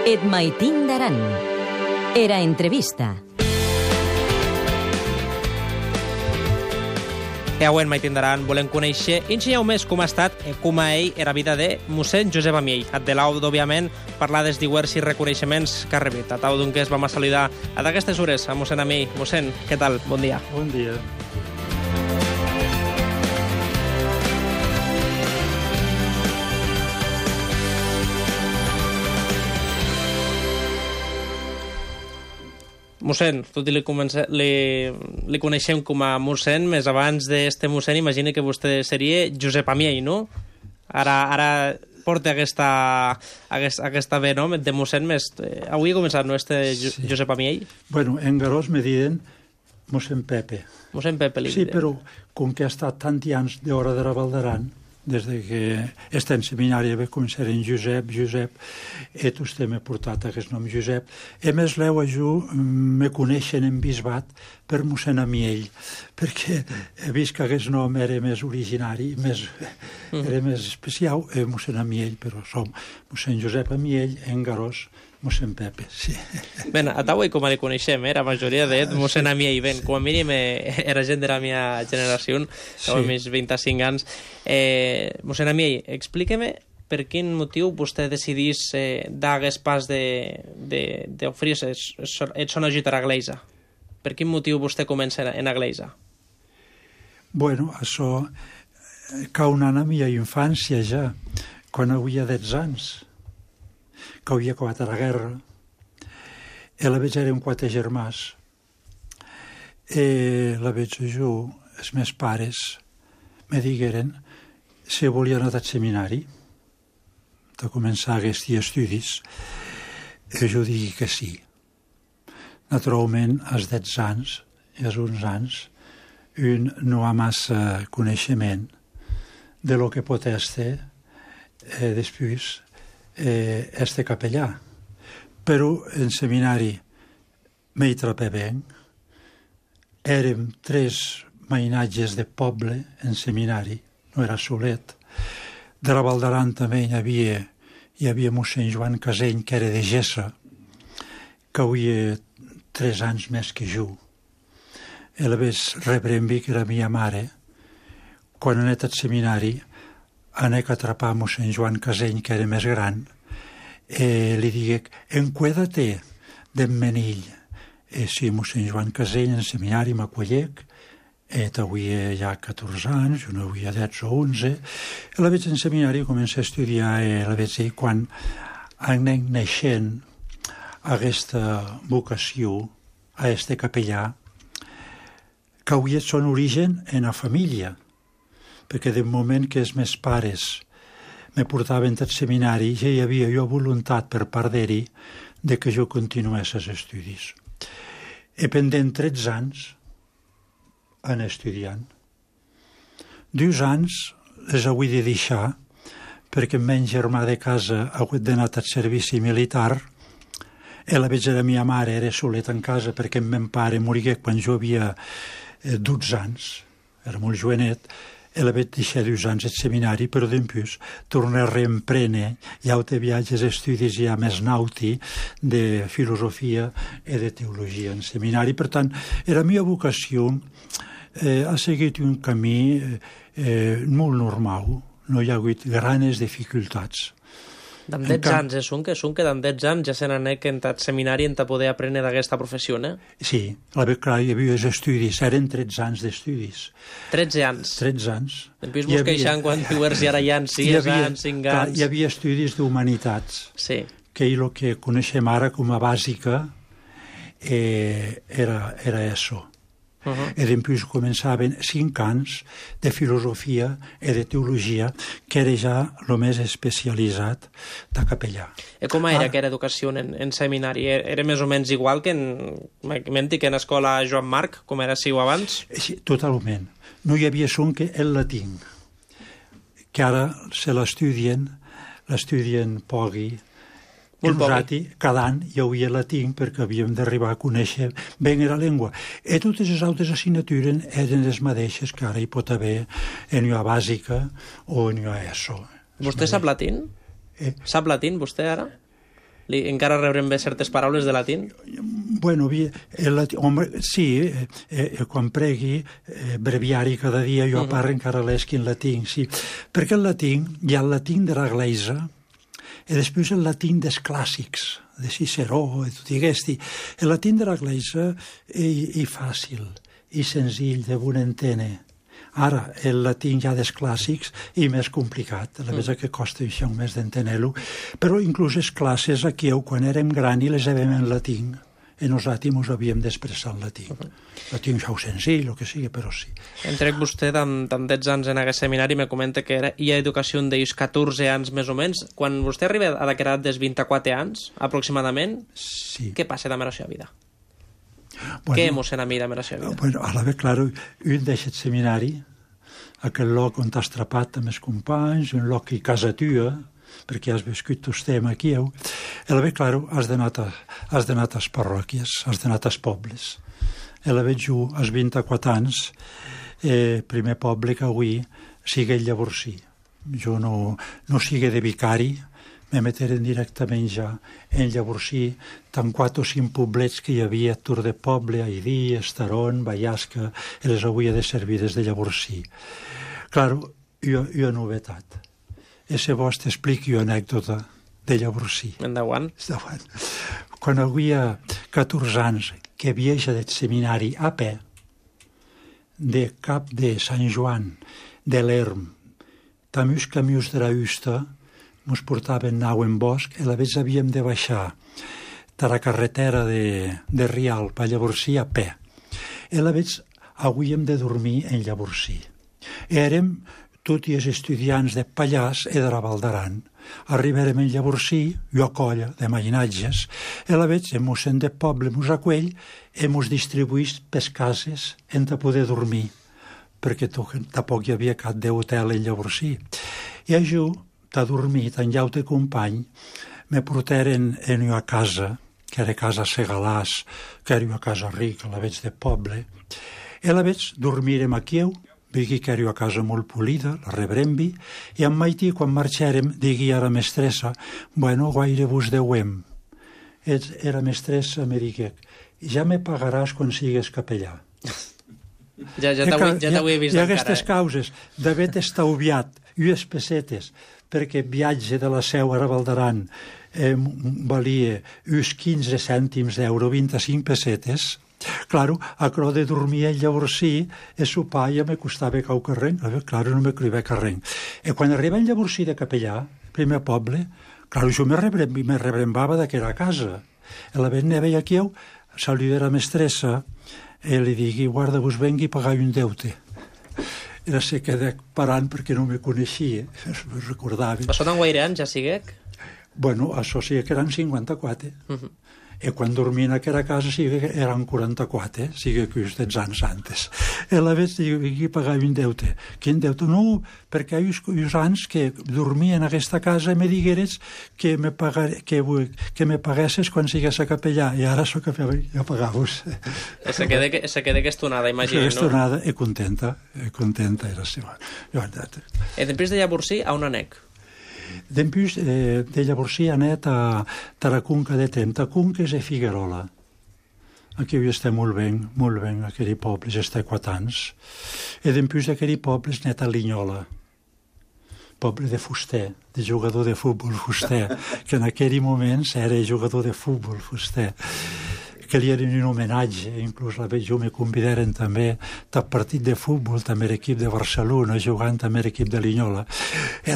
Et maitin d'aran. Era entrevista. I avui en Maitin d'Aran volem conèixer ensenyeu més com ha estat, com a ell era vida de mossèn Josep Amiell. De l'aud, òbviament, parlar dels diversos reconeixements que ha rebut. A tau d'un que es vam a saludar a d'aquestes hores a mossèn Amiell. Mossèn, què tal? Bon dia. Bon dia. Mossèn, tot i li coneixem com a mossèn, més abans d'este mossèn imagino que vostè seria Josep Amiell, no? Ara porta aquesta ve, no?, de mossèn més... Avui ha començat, no?, Josep Amiell? Bueno, en Garós me diuen mossèn Pepe. Mossèn Pepe li diuen. Sí, però com que ha estat tant anys d'hora de Ravaldaran, des que està en seminari vaig començar en Josep, i vostè m'ha portat aquest nom Josep. A més, l'heu me coneixen en bisbat per mossèn Amiell, perquè he vist que aquest nom era més originari, era més especial, mossèn Amiell, però som mossèn Josep Amiell, en Garós, mossèn Pepe, sí. Ben, a Tauai com li coneixem, la majoria de mossèn Amiell, ben, com a mínim era gent de la meva generació, amb més 25 anys. Mossèn Amiell, explique-me per quin motiu vostè decidís dar aquest pas d'oferir-se et sona ajuda a l'Església. Per quin motiu vostè comença en l'Església? Bueno, això cau anant a la meva infància ja, quan havia 10 anys, que havia acabat la guerra, i la veig eren 4 germans, i la veig jo, els meus pares me digueren si volia anar al seminari, de començar aquests estudis, i jo digui que sí. Naturalment, als 10 anys i als 11 anys, un no ha massa coneixement de lo que pot estar després este capellà. Però en seminari m'hi trapé ben. Érem 3 mainatges de poble en seminari, no era solet. De Ravaldaran també hi havia mossèn Joan Caseny, que era de Gessa, que havia 3 anys més que jo. I la vaig rebre amb mi, que era la meva mare, quan he anat al seminari, anec a atrapar mossèn Joan Caseny, que era més gran, i li digué, encuédate d'en Menill. I sí, mossèn Joan Caseny, en seminari m'acollec, avui ja 14 anys, jo no havia 10 o 11, i la veig en seminari, comença a estudiar, i la veig dir, quan anem naixent aquesta vocació, a este capellà, que avui és son origen en la família, perquè del moment que els meus pares me portaven al seminari ja hi havia jo voluntat per part d'ells de que jo continués els estudis. I pendent 13 anys anar estudiant. 2 anys les hauré de deixar perquè el meu germà de casa ha hagut d'anar al servici militar i la veig de la meva mare era solet en casa perquè el meu pare morigué quan jo havia 12 anys, era molt jovenet, i la vaig deixar 2 anys al seminari, però després tornar a reemprendre ja de viatges, estudis ja més nauti de filosofia i de teologia en seminari. Per tant, la meva vocació ha seguit un camí molt normal, no hi ha hagut grans dificultats. D'en 10 anys, que d'en 10 anys ja se n'anec en el seminari en poder aprendre d'aquesta professió, eh? Sí, clar, hi havia els estudis, eren 13 anys d'estudis. 13 anys? 13 anys. Després vos queixant quan dius i ara hi ha 6 anys, 5 anys... Hi havia estudis d'humanitats, sí, que el que coneixem ara com a bàsica era això. I després començaven 5 anys de filosofia i de teologia, que era ja el més especialitzat de capellà. I com era aquella educació en seminari? Era més o menys igual que en l'escola Joan Marc, com era siu abans? Sí, totalment. No hi havia son que el latí, que ara se l'estudien pogui, cada any hi havia latí perquè havíem d'arribar a conèixer ben la llengua. I totes les altres assignatures eren les mateixes que ara hi pot haver en la bàsica o en la ESO. Vostè sap latín? Sap latín, vostè, ara? encara rebrem bé certes paraules de latín? Bueno, sí, quan pregui breviari cada dia jo parlo encara l'eschi in latín, sí, perquè el latín hi ha el latín de la Gleisa e després el latín dels clàssics, de Ciceró e tutti questi. El latín de la Gleisa è fàcil, i senzill, de bon entendre. Ara, el latín ja dels clàssics i més complicat, a la vegada que costa això més d'entendre-lo, però inclús les classes aquí, quan érem gran i les havem en latín, i nosaltres ens havíem d'expressar en latín. Latín xau senzill, el que sigui, però sí. Entrec vostè amb tants anys en aquest seminari i me comenta que hi ha educació d'ells 14 anys més o menys. Quan vostè arriba a la edat dels 24 anys, aproximadament, sí. Què passa amb la seva vida? Bueno, què emocionà a mi amb la seva vida? Bueno, a la vegada, clar, un deixa el seminari, aquell lloc on t'has trapat amb els companys, un lloc que casa tua, perquè has viscut tu estem aquí, i a la vegada, clar, has d'anar a les parròquies, has d'anar als pobles. A la vegada, jo, als 24 anys, primer poble que avui sigui el Llavorsí. Jo no sigui de vicari, me meteren directament ja en Llavorsí, tant 4 o 5 poblets que hi havia a Tour de Poble, Aidí, Estaron, Vallasca, i les havia de servir des de Llavorsí. Clar, jo novetat. I si vols t'expliqui una anècdota de Llavorsí. Endavant. Quan havia 14 anys que viatja del seminari a peu, de cap de Sant Joan, de l'Erm, també els camions de la Usta, ens portaven nau en bosc, i a la vegada havíem de baixar de la carretera de Rialp a Llavorsí a peu. I a la vegada havíem de dormir en Llavorsí. Érem tots els estudiants de Pallars i de la Val d'Aran. Arribarem en Llavorsí, jo a colla de mainatges, i a la vegada el mossèn de poble ens acuell i ens distribuïs pels cases en de poder dormir, perquè tampoc hi havia cap d'hotel en Llavorsí. I a jo, de dormir, en llaute company, me portaren en una casa, que era casa Segalàs, que era una casa rica, a la vegada de poble, i a la vegada dormirem aquí, digui que era una casa molt polida, la rebrem-vi, i en Maití, quan marxarem, digui a la mestressa, bueno, guaire vos deuem. Era mestressa, me digué, ja me pagaràs quan sigues capellà. Ja t'ho he vist encara. Hi ha encara. aquestes causes d'haver estalviat unes pessetes, perquè el viatge de la Seu a Val d'Aran valia uns 15 cèntims d'euro, 25 pessetes. Claro, aquello de dormir en Llavorsí e sopar ja me costava cau carreng, claro, no me criava carreng. I quan arriba en Llavorsí de capellà, primer poble, claro, jo me rebrembava d'aquella casa. I la vegada veia aquí, saludar a la mestressa, i li digui, guarda, vos vengui a pagar un deute. Era se quedé parant perquè no me coneixia, me recordava. Això tan guaire anys, ja siguec? Bueno, això sí que eren 54. I quan dormia en aquella casa sí que eren 44, sí que uns anys antes. I la vegada digui pagava un deute. Quin deute? No, perquè hi ha uns anys que dormia en aquesta casa i me digueres que me paguessis quan sigués a capellà, i ara sóc ja pagaves. Se queda aquesta imagina, no? Aquesta onada, i contenta era seva. I després de Llavorsí, a on anec? Després de Llavorsí anet a la Conca de Tremp, a Conques i Figuerola. Aquí estem molt ben, aquell poble, ja està 4 anys. I després d'aquell poble anet a Linyola, poble de fuster, de jugador de futbol fuster, que en aquell moment era jugador de futbol fuster, que li era un homenatge, inclús jo me convidaren també del partit de futbol, també l'equip de Barcelona, jugant també l'equip de Linyola. I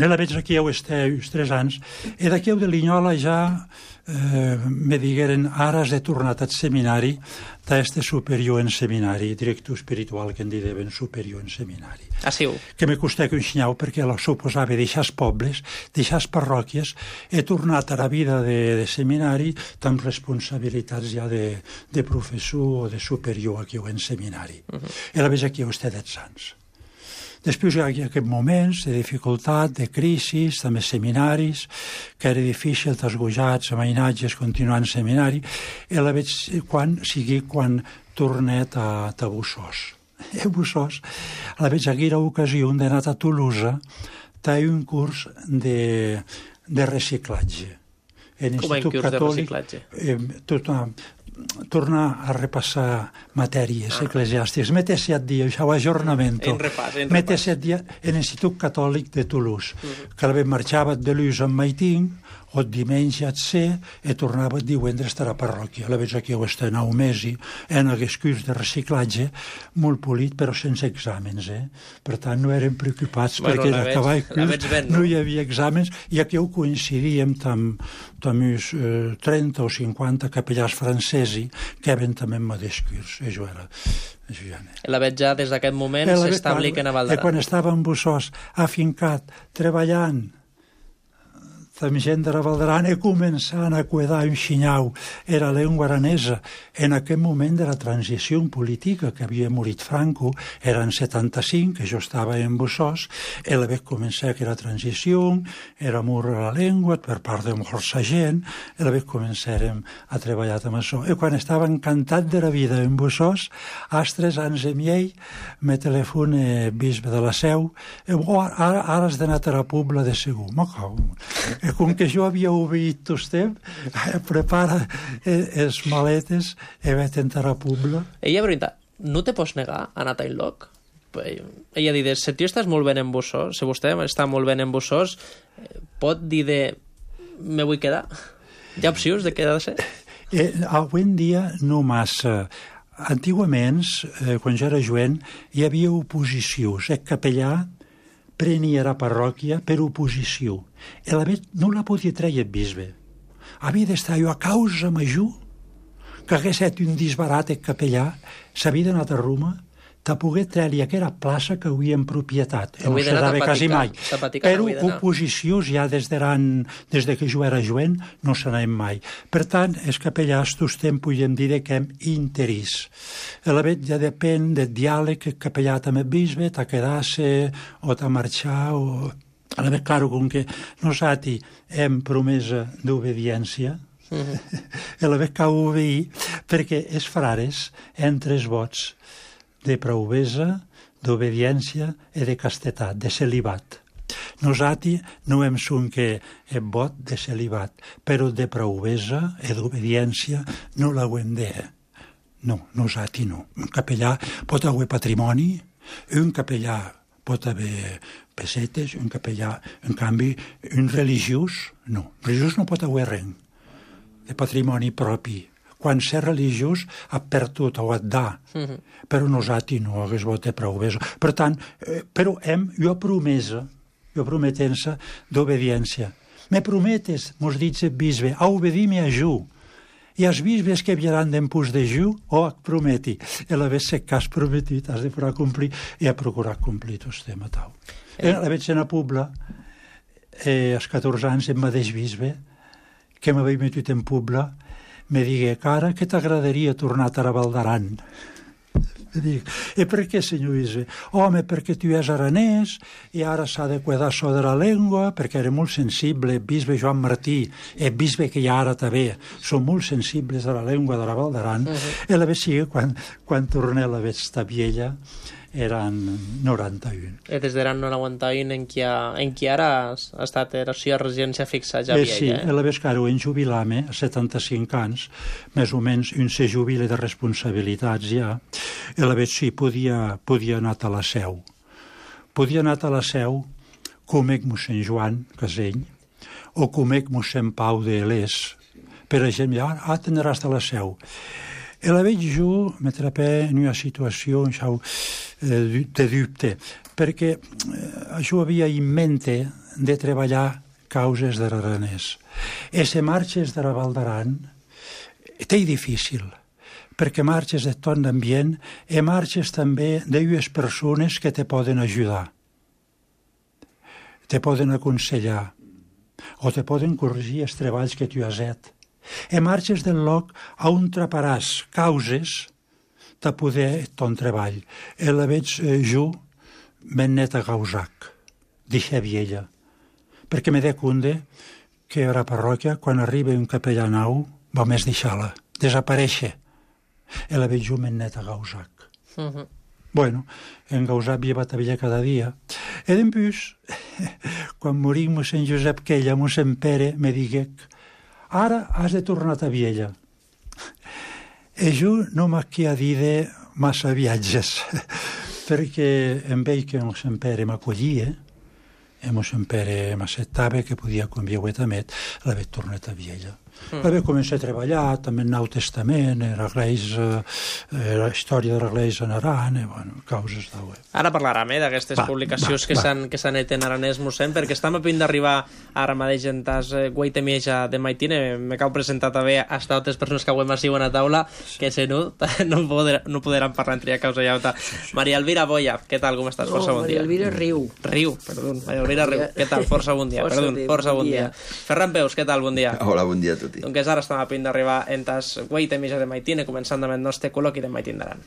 la veig aquí uns 3 anys, i d'aquí de Linyola ja me digueren, ara has de tornar al seminari, d'este superior en seminari, director espiritual que en diuen superior en seminari. Ah, sí? Que me costava un xinyau perquè suposava deixar els pobles, deixar les parròquies, he tornat a la vida de seminari amb responsabilitats ja de professor o de superior aquí en seminari. I la veig aquí vostè 10 anys. Després hi ha aquests moments de dificultat, de crisi, també seminaris, que era difícil, desgojats, amainatges, continuant seminari, i la veig quan tornet a Bussós. A Bussós, la veig aquella ocasió d'anar a Tolosa, té un curs de reciclatge. en com en Institut curs de Catòlic, reciclatge. tornar a repassar matèries eclesiàstiques. Mete 7 dies, això ho ajornamento. En repàs. Mete 7 dies en l'Institut Catòlic de Toulouse. Que la marxava de l'ús amb Maiting, o diumenge et ser, i tornava divendres a la parròquia. La veig aquí ho està 9 mesos, en aquest curs de reciclatge, molt polit, però sense exàmens. Per tant, no érem preocupats, perquè d'acabar el curs no hi havia exàmens, i aquí ho coincidíem amb uns 30 o 50 capellars francesi que eren també en mateix curs. Això era... La veig ja des d'aquest moment s'establir que a Valdaran. Quan estava en Bussós, afincat, treballant, amb gent de Valdaran, i començant a cuidar un xinyau, era la llengua aranesa. En aquell moment de la transició política que havia morit Franco, era en 75, que jo estava en Bussós, i la vaig començar que era transició, era mur a la llengua per part de molta gent, i la vaig començar a treballar amb això. I quan estava encantat de la vida en Bussós, als 3 anys i mig, me telefona bisbe de la Seu, ara has d'anar a la Pobla de Segur. Com que jo havia obeït tot prepara les maletes i vaig tentar a Pobla. Ella, veritat, no te pots negar a anar a Tailloc? Ella dit, si tu estàs molt bé en Bussós, si vostè està molt bé en Bussós, pot dir de me vull quedar? Hi ha opcions de quedar-se? Avui en dia no massa. Antigament, quan jo era jovent, hi havia oposicions. El capellà prenia la parròquia per oposició. I la vet no la podia treure el bisbe. Havia d'estar jo a causa major que hagués estat un disbarat el capellà, s'havia d'anar a Roma, te pogué treure aquella plaça que havia en propietat. No se dava quasi mai. Però oposicions ja des que jo era jovent no se n'anem mai. Per tant, els capellars tots temps podem dir que hem interès. La vet ja depèn del diàleg que el capellà amb el bisbe, t'ha quedar-se o t'ha marxar o... A la vet, clar, com que nosaltres hem promesa d'obediència, la vet cal obeir, perquè els frares, entre els vots, de provesa, d'obediència i de castetat, de celibat. Nosaltres no hem son que el vot de celibat, però de provesa i d'obediència no l'hauem de... No, nosaltres no. Un capellà pot haver patrimoni, un capellà pot haver pessetes, un capellà, en canvi, un religiós, no. Un religiós no pot haver res de patrimoni propi. Quan ser religiós ha perdut o et dà, però nosaltres no hagués votat prou bé. Per tant, però jo prometença d'obediència. Me prometes, mos dit el bisbe, a obedir-me a ju. I els bisbes que havieran d'empús de ju, prometi. I la vez que has prometit, has de procurar complir, i ha procurat complir tot el tema tau. La veig en la Pobla, als 14 anys, el mateix bisbe, que m'havia metut en Pobla, me digué, cara, que t'agradaria tornar a Valdaran? Me dic, i per què, senyor bisbe? Home, perquè tu és aranès i ara s'ha de cuidar això de la llengua, perquè era molt sensible, el bisbe Joan Martí, el bisbe que hi ha ara també, són molt sensibles a la llengua de la Valdaran. I la vez sigui, quan torné a la vez esta viella, eren 91. Des d'eren 91 en qui ara ha estat la seva residència fixa ja vieja. Sí, la vez que ara en jubilar-me, a 75 anys, més o menys un se jubila de responsabilitats ja, i la vez sí, podia anar a la Seu. Podia anar a la Seu com mossèn Joan Casell o com mossèn Pau de Les. Per exemple, tindràs a la Seu. I la veig jo m'atrapé en una situació de dubte, perquè jo havia en mente de treballar causes de l'aranès. I se marxes de la Valdaran, té difícil, perquè marxes de tot l'ambient i marxes també d'unes persones que te poden ajudar, te poden aconsellar o te poden corregir els treballs que tu has fet. I marxes del lloc on traparàs causes de poder ton treball. I la veig jo ben net a Gausac, dixe viella, perquè me de compte que a la parròquia, quan arriba un capellà nou, va més deixar-la, desaparèixer. I la veig jo ben net a Gausac. Bueno, en Gausac havia batalla cada dia. I després, quan morí mossèn Josep Quella, mossèn Pere, me digué ara has de tornar a Viella. E jo no m'ha dit massa viatges, perquè em veig que mon Pere m'acollia, e mon Pere m'accettava que podia conviure amb ell, l'havia tornat a Viella. L'havia començat a treballar també en Nou Testament, la història de l'Església en Aran, causes d'au. Ara parlarem d'aquestes publicacions que s'han fet en aranès, mossèn, perquè estem a punt d'arribar ara mateix en tas guaitemieja de Maitine. Me cau presentar també a altres persones que avui m'assiuen a taula, que si no podran parlar entre causa i alta. Maria Elvira Boya, què tal, com estàs? Força bon dia. Maria Elvira Riu. Maria Elvira Riu, què tal? Força bon dia. Força bon dia. Ferran Peus, què tal? Bon dia. Hola, bon dia a tutti. Doncs ara estem a punt d'arribar en tas guaitemieja de Maitine, començant amb el nostre col·loqui de Maitine d'Aran.